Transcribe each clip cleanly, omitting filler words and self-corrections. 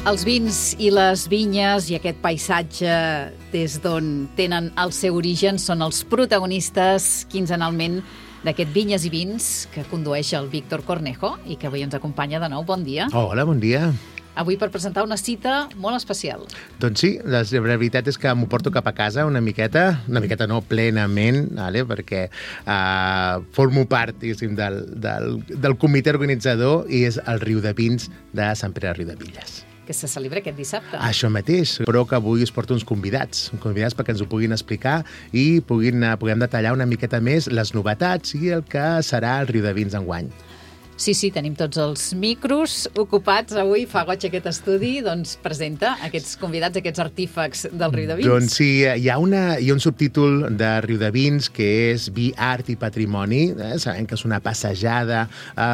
Els vins i les vinyes i aquest paisatge des d'on tenen el seu origen són els protagonistes quinzenalment d'aquest Vinyes i Vins que condueix el Víctor Cornejo i que avui ens acompanya de nou. Bon dia. Hola, bon dia. Avui per presentar una cita molt especial. Doncs sí, la veritat és que m'ho porto cap a casa una miqueta no, plenament, vale? Perquè formo part, diguéssim, del comitè organitzador i és el Riu de Vins de Sant Pere de Riudebitlles. Que se celebra aquest dissabte. Això mateix, però que avui us porto uns convidats perquè ens ho puguin explicar i puguem detallar una miqueta més les novetats i el que serà el Riu de Vins enguany. Sí, tenim tots els micros ocupats avui. Fa goig aquest estudi, doncs presenta aquests convidats, aquests artífecs del Riu de Vins. Doncs sí, hi ha un subtítol de Riu de Vins que és Vi, Art i Patrimoni. Sabem que és una passejada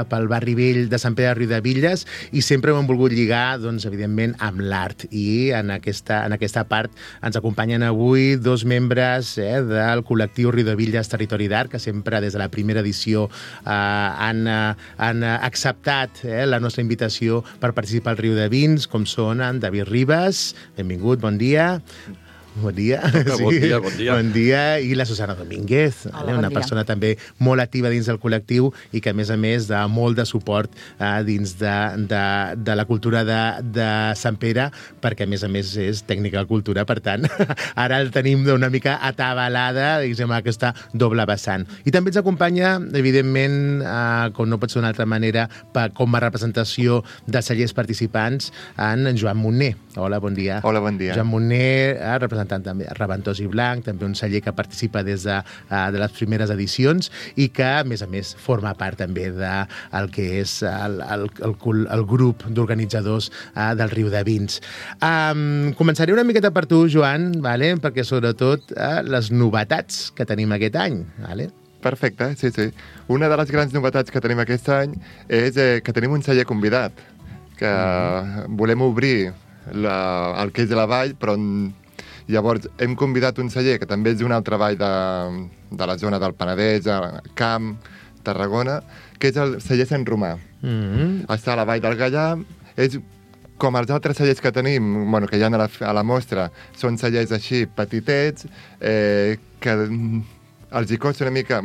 pel barri vell de Sant Pere de Riudebitlles i sempre ho hem volgut lligar, doncs, evidentment, amb l'art. I en aquesta part ens acompanyen avui dos membres del col·lectiu Riudebitlles Territori d'Art, que sempre des de la primera edició han acceptat la nostra invitació per participar al Riu de Vins, com són en David Ribas, benvingut, bon dia. Bon dia. Bon dia. Bon dia. I la Susana Domínguez, una persona també molt activa dins del col·lectiu i que, a més, de molt de suport dins de la cultura de Sant Pere, perquè, a més, és tècnica de cultura, per tant, ara el tenim una mica atabalada, diguem, aquesta doble vessant. I també ens acompanya, evidentment, com no pot ser d'una altra manera, com a representació dels cellers participants, en Joan Monner. Hola, bon dia. Hola, bon dia. Joan Monner, representant també Reventós i Blanc, també un celler que participa des de les primeres edicions i que, a més, forma part també del que és el grup d'organitzadors del Riu de Vins. Començaré una miqueta per tu, Joan, vale? Perquè sobretot les novetats que tenim aquest any. Vale? Perfecte, sí. Una de les grans novetats que tenim aquest any és que tenim un celler convidat, que volem obrir el que és la vall, però llavors hem convidat un celler que també és d'una altra vall de la zona del Penedès, Camp, Tarragona, que és el celler Sant Romà. Està a la vall del Gallà, és com els altres cellers que tenim, que hi ha a la mostra, són cellers així petitets, que els hi costa una mica,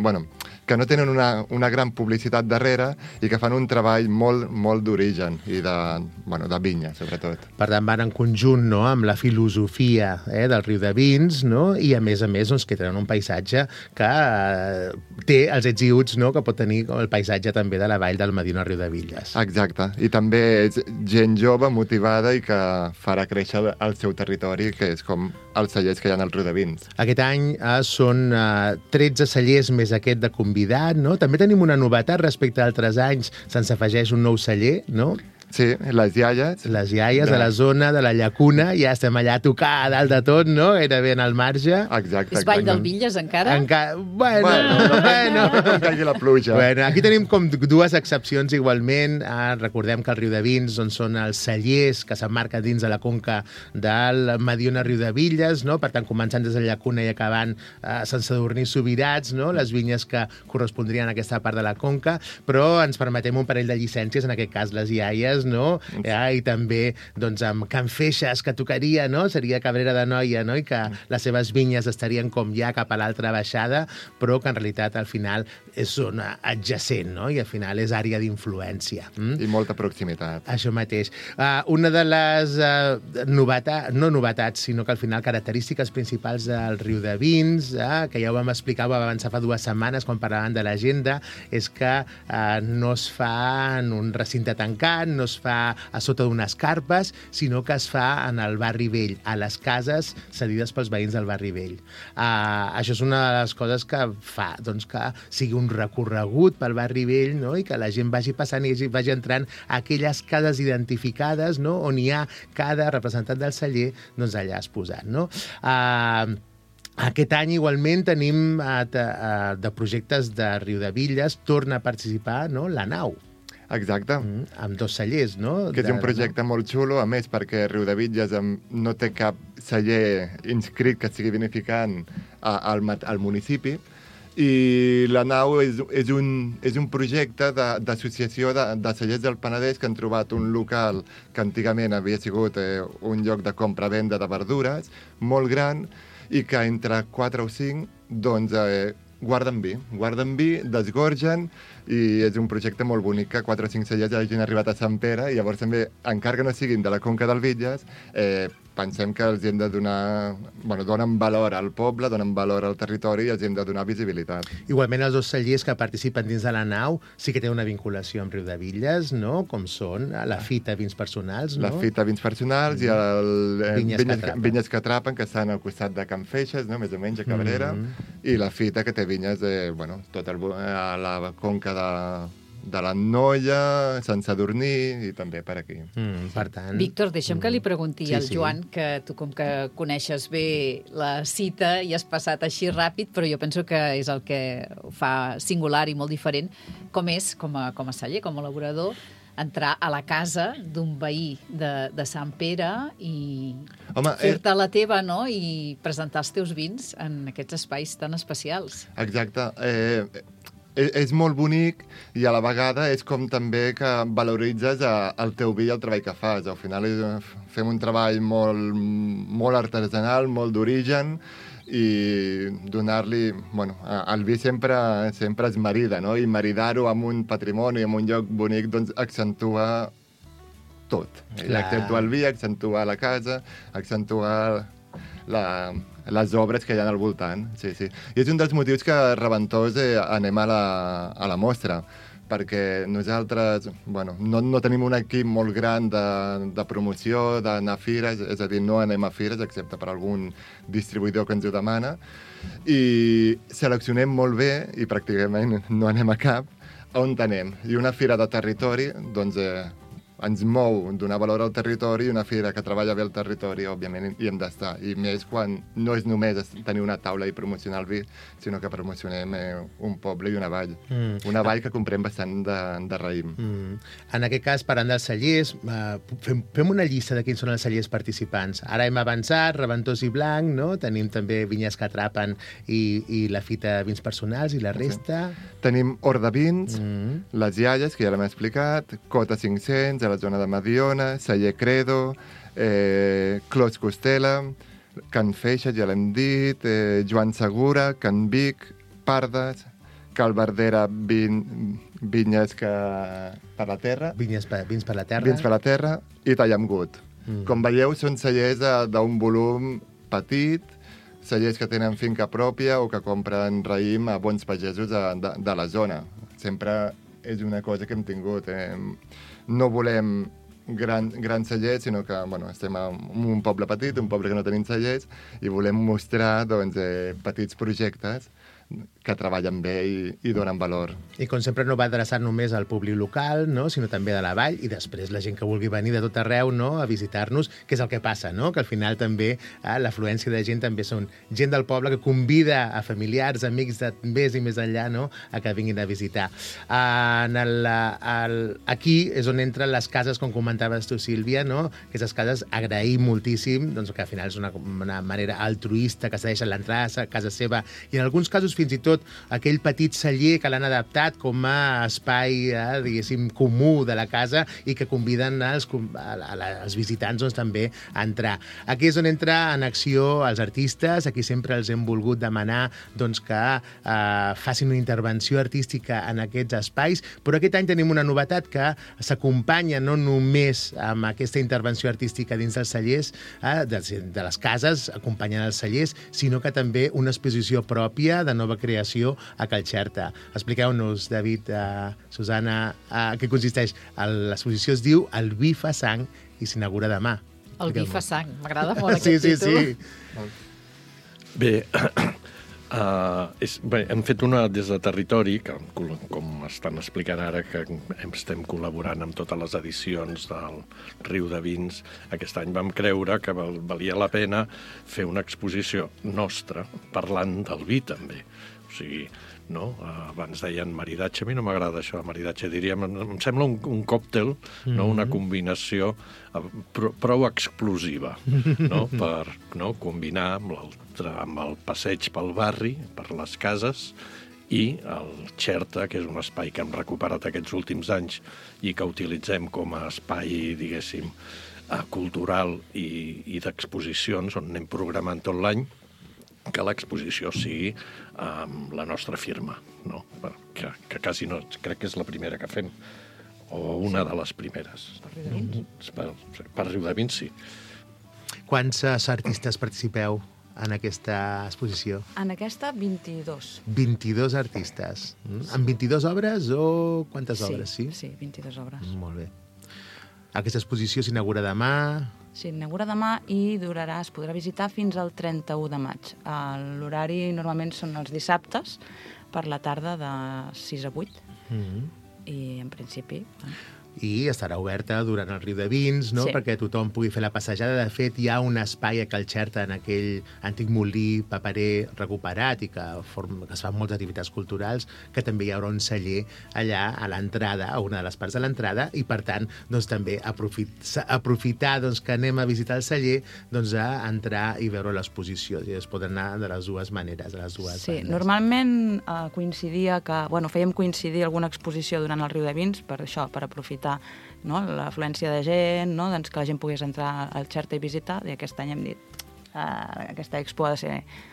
que no tenen una gran publicitat darrere i que fan un treball molt d'origen i de vinya, sobretot. Per tant, van en conjunt, no?, amb la filosofia del Riu de Vins, no?, i a més, doncs, que tenen un paisatge que té els ets i uts, no?, que pot tenir el paisatge també de la vall del Medina Riudebitlles. Exacte. I també és gent jove, motivada i que farà créixer el seu territori, que és com els cellers que hi ha al Riu de Vins. Aquest any són 13 cellers més aquest de convidat, no? També tenim una novetat respecte a altres anys. Se'ns afegeix un nou celler, no? Sí, les iaies. Les iaies de la zona de la Llacuna, ja estem allà a tocar a dalt de tot, no? Era ben al marge. Exacte. És Vall del Villes, encara? Bueno. No caigui la pluja. Bueno, aquí tenim com dues excepcions igualment. Recordem que el Riu de Vins són els cellers que s'emmarquen dins de la conca del Mediona Riudebitlles, no? Per tant, començant des de la Llacuna i acabant Sant Sadurní Subirats, no? Les vinyes que correspondrien a aquesta part de la conca, però ens permetem un parell de llicències, en aquest cas les iaies, no? I també doncs, amb Can Feixes, que tocaria, no? Seria Cabrera de Noia, no? I que les seves vinyes estarien com ja cap a l'altra baixada, però que en realitat al final és zona adjacent, no? I al final és àrea d'influència. I molta proximitat. Això mateix. Una de les no novetats, sinó que al final característiques principals del Riu de Vins, que ja ho vam explicar, ho vam avançar fa 2 setmanes quan parlàvem de l'agenda, és que no es fa en un recinte tancat, no es fa a sota d'unes carpes, sinó que es fa en el barri vell, a les cases cedides pels veïns del barri vell. Això és una de les coses que fa doncs, que sigui un recorregut pel barri vell, no? I que la gent vagi passant i vagi entrant a aquelles cases identificades, no? On hi ha cada representant del celler doncs, allà exposat. No? Aquest any igualment tenim de projectes de Riudebitlles, torna a participar, no? La Nau. Exacte. Amb 2 cellers, no? Que és un projecte molt xulo, a més, perquè Riudebitlles no té cap celler inscrit que estigui vinificant al municipi, I la nau és un projecte d'associació de cellers del Penedès que han trobat un local que antigament havia sigut un lloc de compra-venda de verdures molt gran i que entre 4 o 5 doncs, guarden vi, desgorgen, i és un projecte molt bonic que 4 o 5 cellers hagin arribat a Sant Pere, i llavors també, encara que no siguin de la Conca del Bitlles, pensem que els hem de donar... donen valor al poble, donen valor al territori i els hem de donar visibilitat. Igualment, els 2 cellers que participen dins de la nau sí que tenen una vinculació amb Riudebitlles, no? Com són la Fita Vins Personals, no? La Fita Vins Personals i el Vinyes que Atrapen, que estan al costat de Can Feixes, no? Més o menys, a Cabrera, i la Fita, que té vinyes a la conca de la Noia, Sant Sadurní i també per aquí. Per tant... Víctor, deixa'm que li pregunti al Joan, que tu com que coneixes bé la cita i has passat així ràpid, però jo penso que és el que ho fa singular i molt diferent, com és, com a celler, com a elaborador, entrar a la casa d'un veí de Sant Pere i fer-te la teva, no?, i presentar els teus vins en aquests espais tan especials. Exacte. És molt bonic i a la vegada és com també que valoritzes el teu vi i el treball que fas. Al final fem un treball molt artesanal, molt d'origen, i donar-li... el vi sempre es marida, no? I maridar-ho amb un patrimoni, amb un lloc bonic, doncs accentua tot. Accentua el vi, accentua la casa, accentua les obres que hi ha al voltant. Sí. I és un dels motius que Reventós anem a la mostra, perquè nosaltres no tenim un equip molt gran de promoció, d'anar a fires, és a dir, no anem a fires excepte per algun distribuïdor que ens ho demana, i seleccionem molt bé, i pràcticament no anem a cap, on anem. I una fira de territori, doncs, ens mou donar valor al territori, i una fira que treballa bé el territori, òbviament, hi hem d'estar. I més quan no és només tenir una taula i promocionar el vi, sinó que promocionem un poble i una vall. Una vall que comprem bastant de raïm. En aquest cas, parlant dels cellers, fem una llista de quins són els cellers participants. Ara hem avançat, Reventós i Blanc, no? Tenim també Vinyes que Atrapen i la Fita Vins Personals, i la resta... Tenim Hort de Vins, Les Iaies, que ja l'hem explicat, Cota 500, a la zona de Mediona, Celler Credo, Clos Costela, Can Feixes, ja l'hem dit, Joan Segura, Can Vic, Pardes, Cal Verdera, Vinyes per la Terra. Vins per la Terra. Vins per la Terra i Tallamgut. Com veieu, són cellers d'un volum petit, cellers que tenen finca pròpia o que compren raïm a bons pagesos de la zona. Sempre és una cosa que hem tingut. No volem grans cellers, sinó que estem en un poble petit, un poble que no tenim cellers, i volem mostrar petits projectes que treballen bé i donen valor. I com sempre no va adreçar només al públic local, no? Sinó també de la vall, i després la gent que vulgui venir de tot arreu, no?, a visitar-nos, que és el que passa, no?, que al final també l'afluència de gent també són gent del poble que convida a familiars, amics de més i més enllà, no?, a que vinguin a visitar. Aquí és on entren les cases, com comentaves tu, Sílvia, no?, aquestes cases agraïm moltíssim, doncs, que al final és una manera altruista que cedeixen l'entrada a casa seva, i en alguns casos fins i tot aquell petit celler que l'han adaptat com a espai, diguéssim, comú de la casa, i que conviden els visitants doncs, també a entrar. Aquí és on entra en acció els artistes. Aquí sempre els hem volgut demanar doncs, que facin una intervenció artística en aquests espais, però aquest any tenim una novetat que s'acompanya no només amb aquesta intervenció artística dins dels cellers, de les cases, acompanyant els cellers, sinó que també una exposició pròpia de nova creació a Cal Xerta. Expliqueu-nos, David, Susana, què consisteix. L'exposició es diu El vi fa sang i s'inaugura demà. El vi fa sang, m'agrada molt aquest títol. Sí. Bé, hem fet una des de territori, que com m'estan explicant ara que estem col·laborant amb totes les edicions del Riu de Vins. Aquest any vam creure que valia la pena fer una exposició nostra parlant del vi, també. O sigui, no? Abans deien maridatge, a mi no m'agrada això de maridatge, diríem, em sembla un còctel, no? Una combinació prou explosiva, no? Per combinar amb el passeig pel barri, per les cases, i el Xerta, que és un espai que hem recuperat aquests últims anys i que utilitzem com a espai, diguéssim, cultural i d'exposicions, on anem programant tot l'any, que l'exposició sigui amb la nostra firma, no? Que quasi no, crec que és la primera que fem, o una de les primeres. Per Riu de Vins? Per Riu de Vins, sí. Quants artistes participeu en aquesta exposició? En aquesta, 22. 22 artistes. Amb 22 obres o quantes obres? Sí, 22 obres. Molt bé. Aquesta exposició s'inaugura demà. S'inaugura demà i durarà, es podrà visitar fins al 31 de maig. L'horari normalment són els dissabtes, per la tarda de 6 a 8. I en principi... I estarà oberta durant el Riu de Vins, no? Sí. Perquè tothom pugui fer la passejada. De fet, hi ha un espai a Cal Xerta, en aquell antic molí paperer recuperat i que es fan moltes activitats culturals, que també hi haurà un celler allà a l'entrada, a una de les parts de l'entrada, i per tant, doncs, també aprofitar doncs, que anem a visitar el celler, doncs, a entrar i veure l'exposició. I es poden anar de les dues maneres, de les dues bandes. Normalment coincidia que... fèiem coincidir alguna exposició durant el Riu de Vins per això, per aprofitar l'afluència de gent, doncs que la gent pogués entrar al Xerta i visitar, i aquest any hem dit aquesta expo ha de ser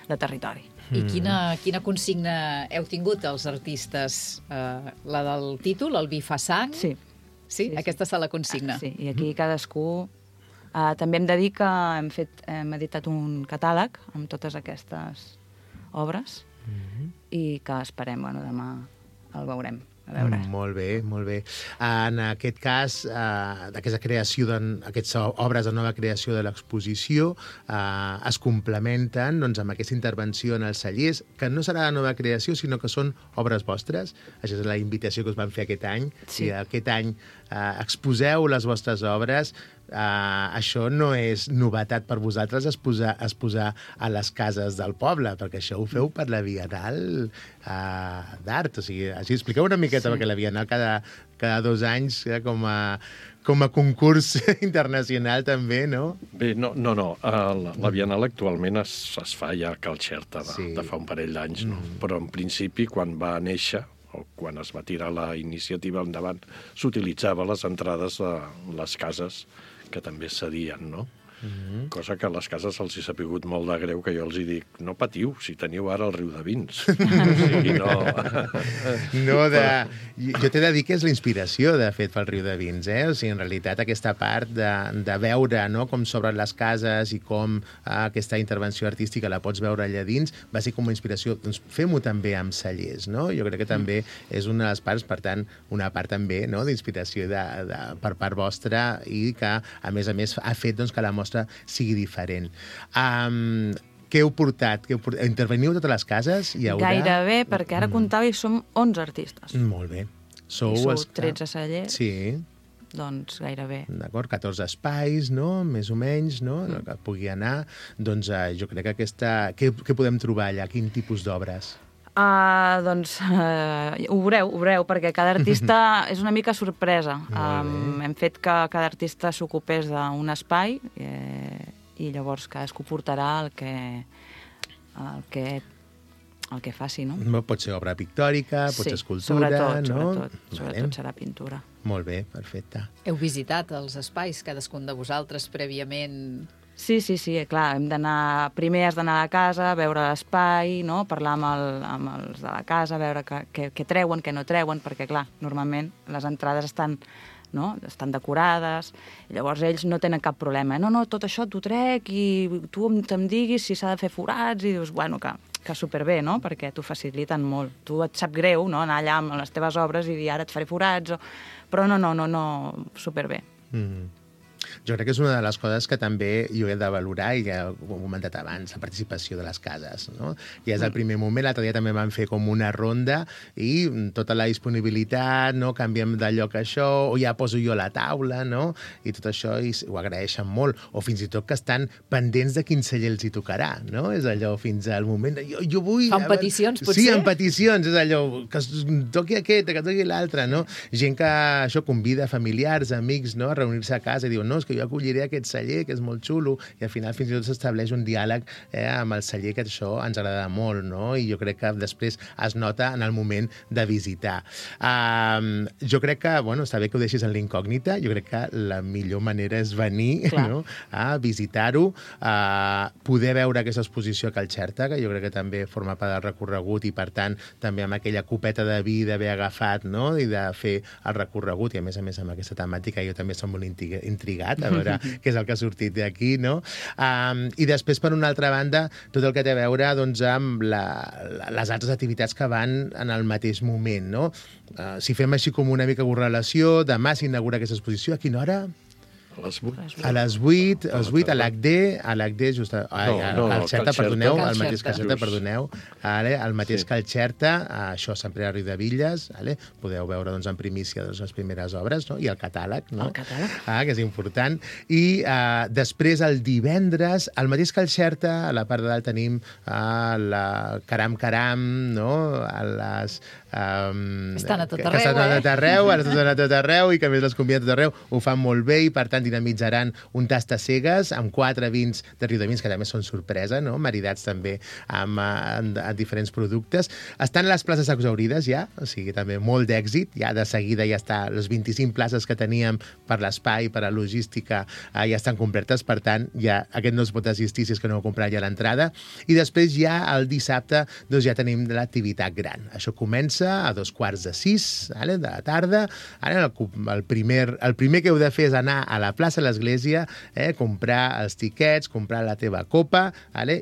de territori. I quina consigna heu tingut els artistes? La del títol, el vi fa sang? Sí. Sí? Aquesta serà la consigna. Sí, i aquí cadascú... També hem de dir que hem editat un catàleg amb totes aquestes obres i que esperem, demà el veurem. Molt bé, molt bé. En aquest cas, aquesta creació, aquestes obres de nova creació de l'exposició es complementen amb aquesta intervenció en els cellers, que no serà de nova creació, sinó que són obres vostres. Això és la invitació que us van fer aquest any. Sí. Si aquest any exposeu les vostres obres, això no és novetat per vosaltres exposar a les cases del poble, perquè això ho feu per la Bienal d'Art. O sigui, així expliqueu una miqueta, perquè la Bienal cada 2 anys com a concurs internacional també, no? Bé, no. La Bienal actualment es fa ja a Cal Xerta de fa un parell d'anys, no? Però en principi, quan va néixer, o quan es va tirar la iniciativa endavant, s'utilitzava les entrades de les cases que també cedien, no? Cosa que a les cases els hi ha sapigut molt de greu, que jo els hi dic, no patiu, si teniu ara el Riu de Vins. O sigui, no... Jo t'he de dir que és la inspiració, de fet, pel Riu de Vins, O sigui, en realitat, aquesta part de veure com s'obren les cases i com aquesta intervenció artística la pots veure allà dins, va ser com una inspiració. Doncs fem-ho també amb cellers, no? Jo crec que també és una de les parts, per tant, una part també d'inspiració per part vostra i que, a més, ha fet que la mostra sigui diferent. Què heu portat? Interveniu a totes les cases? Gairebé, perquè ara comptava i som 11 artistes. Molt bé. Sou 13 cellers. Sí. Doncs gairebé. D'acord, 14 espais, no? Més o menys, no? Que pugui anar. Doncs jo crec que què podem trobar allà? Quin tipus d'obres? Ho veureu, perquè cada artista és una mica sorpresa. Hem fet que cada artista s'ocupés d'un espai i llavors cadascú portarà el que faci, no? Pot ser obra pictòrica, pot ser escultura, no? Sobretot serà pintura. Molt bé, perfecte. Heu visitat els espais, cadascun de vosaltres, prèviament? Sí, clar, primer has d'anar a casa, veure l'espai, no? Parlar amb els de la casa, veure què treuen, què no treuen, perquè, clar, normalment les entrades estan decorades, i llavors ells no tenen cap problema. No, tot això t'ho trec i tu em diguis si s'ha de fer forats, i dius, que superbé, no? Perquè t'ho faciliten molt. Tu et sap greu, no?, anar allà amb les teves obres i dir, ara et faré forats, però no, superbé. jo crec que és una de les coses que també jo he de valorar, i ja ho he comentat abans, la participació de les cases, no? Ja és el primer moment, l'altre dia també vam fer com una ronda i tota la disponibilitat, no? Canviem de lloc això, o ja poso jo a la taula, no? I tot això i ho agraeixen molt, o fins i tot que estan pendents de quin celler els hi tocarà, no? És allò fins al moment de jo vull... Fan peticions, potser? Sí, en peticions, és allò que es toqui aquest, que toqui l'altre, no? Gent que això convida familiars, amics, no? A reunir-se a casa i diuen, no, és que jo acolliré aquest celler, que és molt xulo, i al final fins i tot s'estableix un diàleg amb el celler, que això ens agrada molt, no? I jo crec que després es nota en el moment de visitar. Jo crec que, bueno, està bé que ho deixis en l'incògnita, jo crec que la millor manera és venir, no? A visitar-ho, poder veure aquesta exposició a Cal Xerta, que jo crec que també forma part del recorregut i, per tant, també amb aquella copeta de vi d'haver agafat, no? I de fer el recorregut, i a més amb aquesta temàtica jo també som molt intrigat a veure què és el que ha sortit d'aquí, no? I després, per una altra banda, tot el que té a veure doncs, amb les altres activitats que van en el mateix moment, no? Si fem així com una mica correlació, demà s'inaugura aquesta exposició, a quina hora? A les 8. A les 8, a l'ACD, just al Xerta, perdoneu, al mateix Cal Xerta, perdoneu, al mateix Cal Xerta, això Sant Pere de Riudebitlles, podeu veure en primícia les primeres obres, i el catàleg, que és important. I després, el divendres, al mateix Cal Xerta, a la part de dalt tenim la Caram Caram, a les... Estan a tot arreu, estan a tot arreu, i que a més les conviden a tot arreu, ho fan molt bé, i per tant dinamitzaran un tastacegues amb 4 vins de Riudebitlles, que també són sorpresa, no? Maridats també amb diferents productes. Estan les places exhaurides ja, o sigui, també molt d'èxit, ja de seguida ja està, les 25 places que teníem per l'espai, per la logística, ja estan completes, per tant, ja aquest no es pot assistir si és que no heu comprat ja l'entrada. I després ja el dissabte doncs ja tenim l'activitat gran. Això comença a 2:45 de la tarda. Ara el primer que heu de fer és anar a la plaça de l'Església, comprar els tiquets, comprar la teva copa,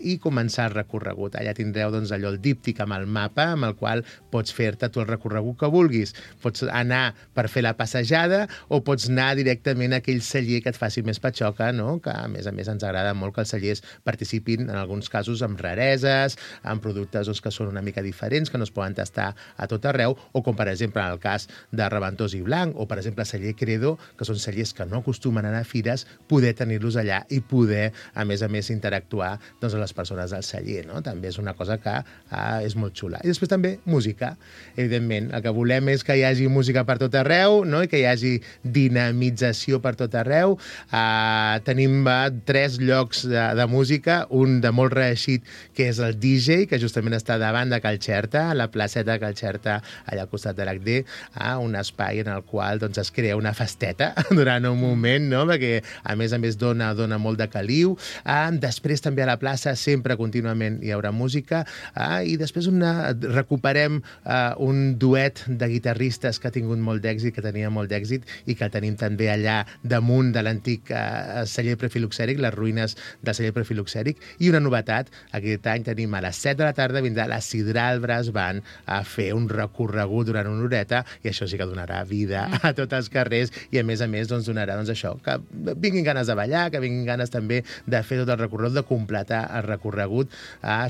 i començar el recorregut. Allà tindreu allò, el díptic amb el mapa, amb el qual pots fer-te tu el recorregut que vulguis. Pots anar per fer la passejada o pots anar directament a aquell celler que et faci més patxoca, no? Que a més ens agrada molt que els cellers participin, en alguns casos, amb rareses, amb productes que són una mica diferents, que no es poden tastar a tot arreu, o com, per exemple, en el cas de Reventós i Blanc, o, per exemple, celler Credo, que són cellers que no acostumen a anar a fires, poder tenir-los allà i poder, a més, interactuar amb les persones del celler, no? També és una cosa que és molt xula. I després també música. Evidentment, el que volem és que hi hagi música per tot arreu, no? I que hi hagi dinamització per tot arreu. Tenim 3 llocs de música, un de molt reeixit, que és el DJ, que justament està davant de Cal Xerta, a la placeta de Cal Xerta, allà al costat de l'ACD, un espai en el qual es crea una festeta durant un moment, no? Perquè a més dona molt de caliu. Després també a la plaça sempre contínuament hi haurà música, i després recuperem un duet de guitarristes que ha tingut molt d'èxit, que tenia molt d'èxit, i que tenim també allà damunt de l'antic celler prefiloxèric, les ruïnes del celler prefiloxèric. I una novetat, aquest any tenim a les 7 de la tarda vindrà la Sidral Brass Band a fer un recorregut durant una horeta, i això sí que donarà vida a tots els carrers, i a més donarà això, que vinguin ganes de ballar, que vinguin ganes també de fer tot el recorregut, de completar el recorregut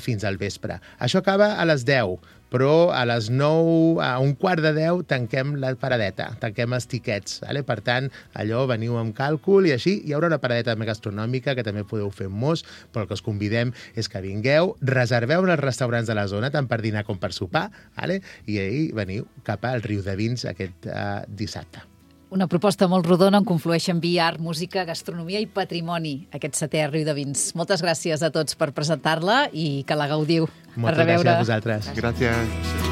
fins al vespre. Això acaba a les 10, però a les 9, a 9:45, tanquem la paradeta, tanquem els tiquets. Per tant, allò, veniu amb càlcul i així. Hi haurà una paradeta gastronòmica que també podeu fer molts, però el que us convidem és que vingueu, reserveu en els restaurants de la zona, tant per dinar com per sopar, i ahir veniu cap al Riudevins aquest dissabte. Una proposta molt rodona on conflueixen vi, art, música, gastronomia i patrimoni, aquest 7è Riudevins. Moltes gràcies a tots per presentar-la i que la gaudiu. Moltes gràcies a vosaltres. Gràcies.